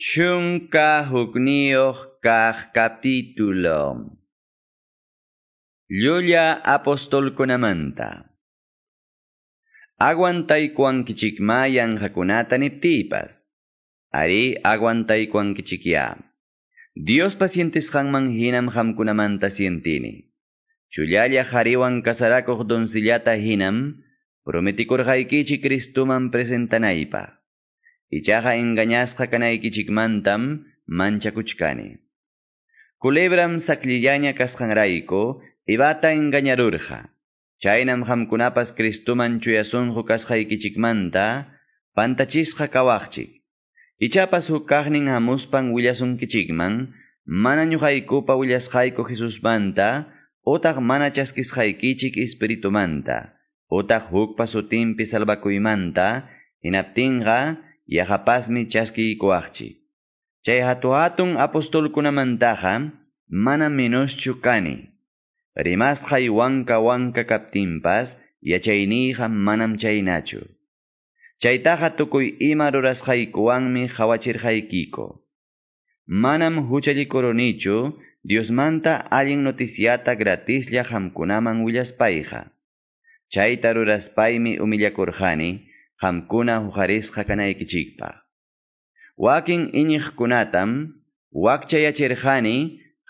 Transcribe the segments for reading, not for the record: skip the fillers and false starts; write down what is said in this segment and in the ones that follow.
11 kaq capítulo. Llulla apostolkunamanta. Aguantaykuwankichikma yanqakunata niptiypas. Ari aguantaykuwankichikya. Diospa sientisqanman hinam qamkunamanta sientini. Chullalla qhariwan kasarakuq doncellata hinam prometikurqaykichik Cristuman presentanaypaq. Ichaqa engañasqa kanaykichikmantam manchakuchkani. Culebram saklillaña kasqanrayku Evata engañarurqa. Chaynam qamkunapas Cristuman chuya sunqu kasqaykichikmanta pantachisqa kawaqchik. Ichapas huk kaqnin hamuspan willasunkichikman mana ñuqaykupa willasqayku Jesusmanta utaq mana chaskisqaykichik Espiritumanta utaq hukpa sutinpi salvakuymanta hinaptinqa yaqapasmi chaskiykuwaqchik. Chay hatu-hatun apostolkunamantaqa mana menoschu kani. Rimasqay wanka wanka kaptinpas yachayniyqa manam chaynachu. Chaytaqa tukuy ima rurasqaykuwanmi qhawachirqaykiku. Manam huchallikurunichu Diosmanta allin noticiata gratislla qamkunaman willaspayqa. Chayta ruraspaymi humillakurqani qamkuna huqarisqa kanaykichikpaq. Wakin iñiqkunatam wakchayachirqani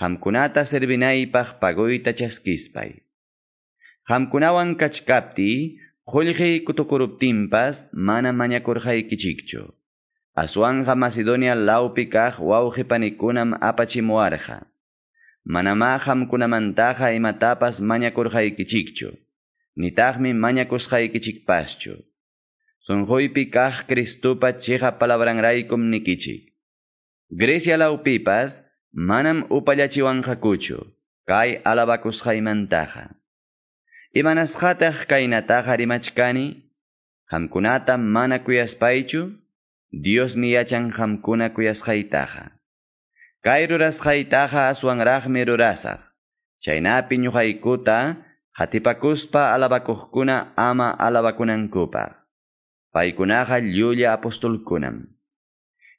qamkunata servinaypaq paguyta chaskispay. Qamkunawan kachkaptiy qullqiy kutukuruptinpas mana mañakurqaykichikchu. Aswanqa Macedonia lawpi kaq wawqipanikunam apachimuwarqa. Manamá qamkunamantaqa imatapas mañakurqaykichikchu. Nitaqmi mañakusqaykichikpaschu. Sunquypi kaq Cristupa chiqa palabranraykum nikichik. Grecia lawpipas manam upallachiwanqakuchu kay alabakusqaymantaqa. Imanasqataq kaynataqa rimachkani? Qamkunata mana kuyaspaychu? Diosmi yachan qamkuna kuyasqaytaqa. Kay rurasqaytaqa aswanraqmi rurasaq. Chaynapi ñuqaykuta qatipakuspa alabakuqkuna ama alabakunankupaq. Paykunaqa llulla apostolkunam.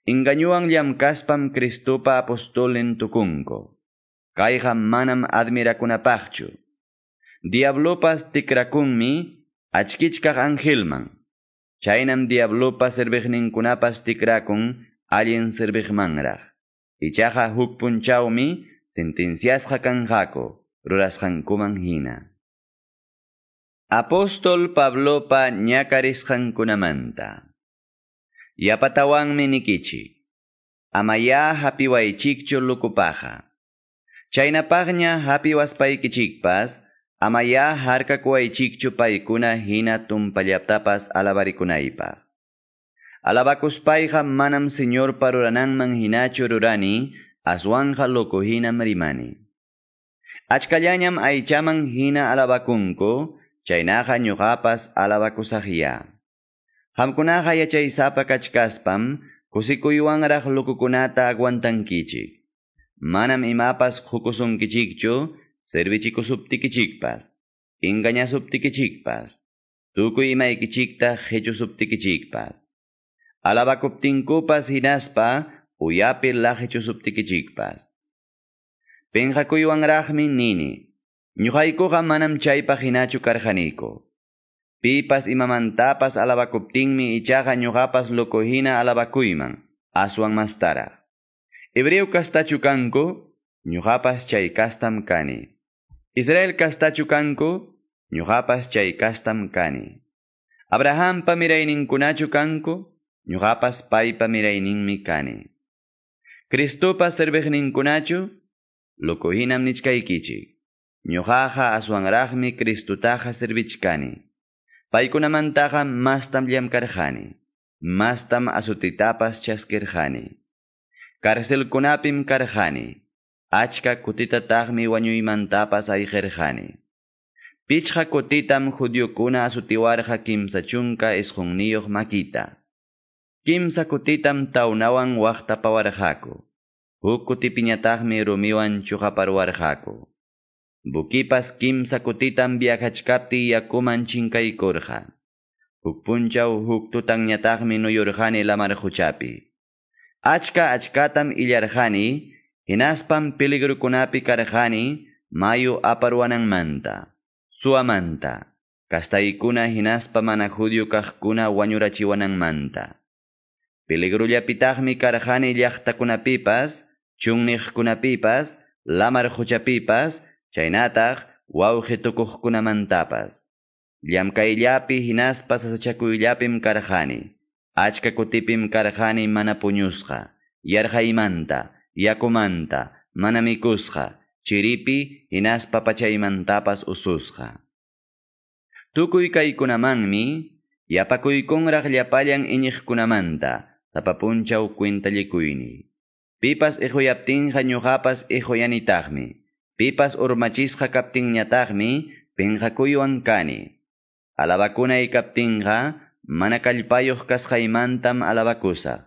Engañuwan llamkaspam Cristupa apostolnin tukunku. Kayqa manam admirakunapaqchu. Diablopas tikrakunmi achkichkaq angelman. Chaynam diablopa serviqninkunapas tikrakun allin serviqmanraq. Ichaqa huk punchawmi sentenciasqa kanqaku rurasqankuman hina. Apóstol Pablopa ñakarisqankunamanta. Yapatawanmi nikichik. Amaya hapiwaychikchu lukupaqa. Chaynapaqña hapiwaspaykichikpas, amaya harkakuwaychikchu paykuna hina tumpallaptapas alabarikunaypaq. Alabakuspayqa manam Señorpa rurananman hinachu rurani, aswanja loco hinam rimani. Achkallañam aychaman hina alabakunku, chaynaqa ñuqapas alabakusaqya. Qamkunaqa yachaysapa kachkaspam kusikuywanraq lukukunata aguantankichik. Manam imapas qukusunkichikchu servichikusuptikichikpas, engañasuptikichikpas, tukuy imaykichikta qichusuptikichikpas. Alabakuptinkupas hinaspa uyapi laqichusuptikichikpas. Pinqakuywanraqmi nini, ñuqaykuqa manam chaypaq hinachu karqaniku. Pipas imamantapas alabakuptinmi ichaqa ñuqapas loco hina alabakuyman, aswan mastaraq. Hebreo kastachu kanku, ñuqapas chay kastam kani. Israel kastachu kanku, ñuqapas chay kastam kani. Abrahampa mirayninkunachu kanku, ñuqapas paypa mirayninmi kani. Cristupa serviqninkunachu, loco hinam nichkaykichik. Ñuqaqa aswanraqmi Cristutaqa servichkani. Paykunamantaqa mastam llamkarqani, mastam azutitapas chaskirqani. Carcelkunapim karqani, achka kutitataqmi wañuymantapas ayqirqani. Pichqa kutitam judiokuna azutiwarqa 39 makita. Kimsa kutitam tawnawan waqtapawarqaku. Huk kutipiñataqmi rumiwan chuqaparwarqaku. Bukipas kimsa kutitam viajachkaptiy yakuman chinkaykurqa. Huk punchaw huk tutanñataqmi nuyurqani lamar quchapi. Achka-achkatam illarqani, hinaspam peligrukunapi karqani mayu aparuwananmanta, suwamanta, kastaykuna hinaspa mana judío kaqkuna wañurachiwananmanta. Peligrullapitaqmi karqani llaqtakunapipas, chunniqkunapipas, lamar quchapipas, chaynataq wawqi tukuqkunamantapas. Llamkayllapi hinaspa sasachakuyllapim karqani. Achka kutipim karqani mana puñusqa, yarqaymanta, yakumanta, mana mikusqa, chiripi hinaspa pachaymantapas ususqa. Tukuy kaykunamanmi, yapakuykunraq llapallan iñiqkunamanta, sapa punchaw cuentallikuyni. Pipas iquyaptinqa ñuqapas iquyanitaqmi. Pipas urmachisqa kaptinñataqmi pinqakuywan kani. Alabakunay kaptinqa mana kallpayuq kasqaymantam alabakusaq.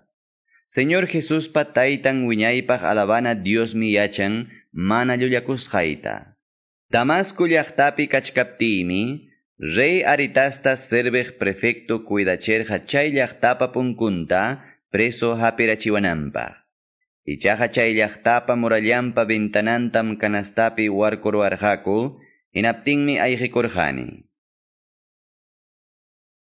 Señor Jesuspa taytan wiñaypaq alabana Diosmi yachan mana llullakusqayta. Damasco llaqtapi kachkaptiymi, rey Aritasta serviq prefecto cuidacherqa chay llaqtapa punkunta preso hapirachiwananpaq. Ichaqa chay llaqtapa murallanpa ventanantam canastapi warkuruwarqaku, hinaptinmi ayqikurqani.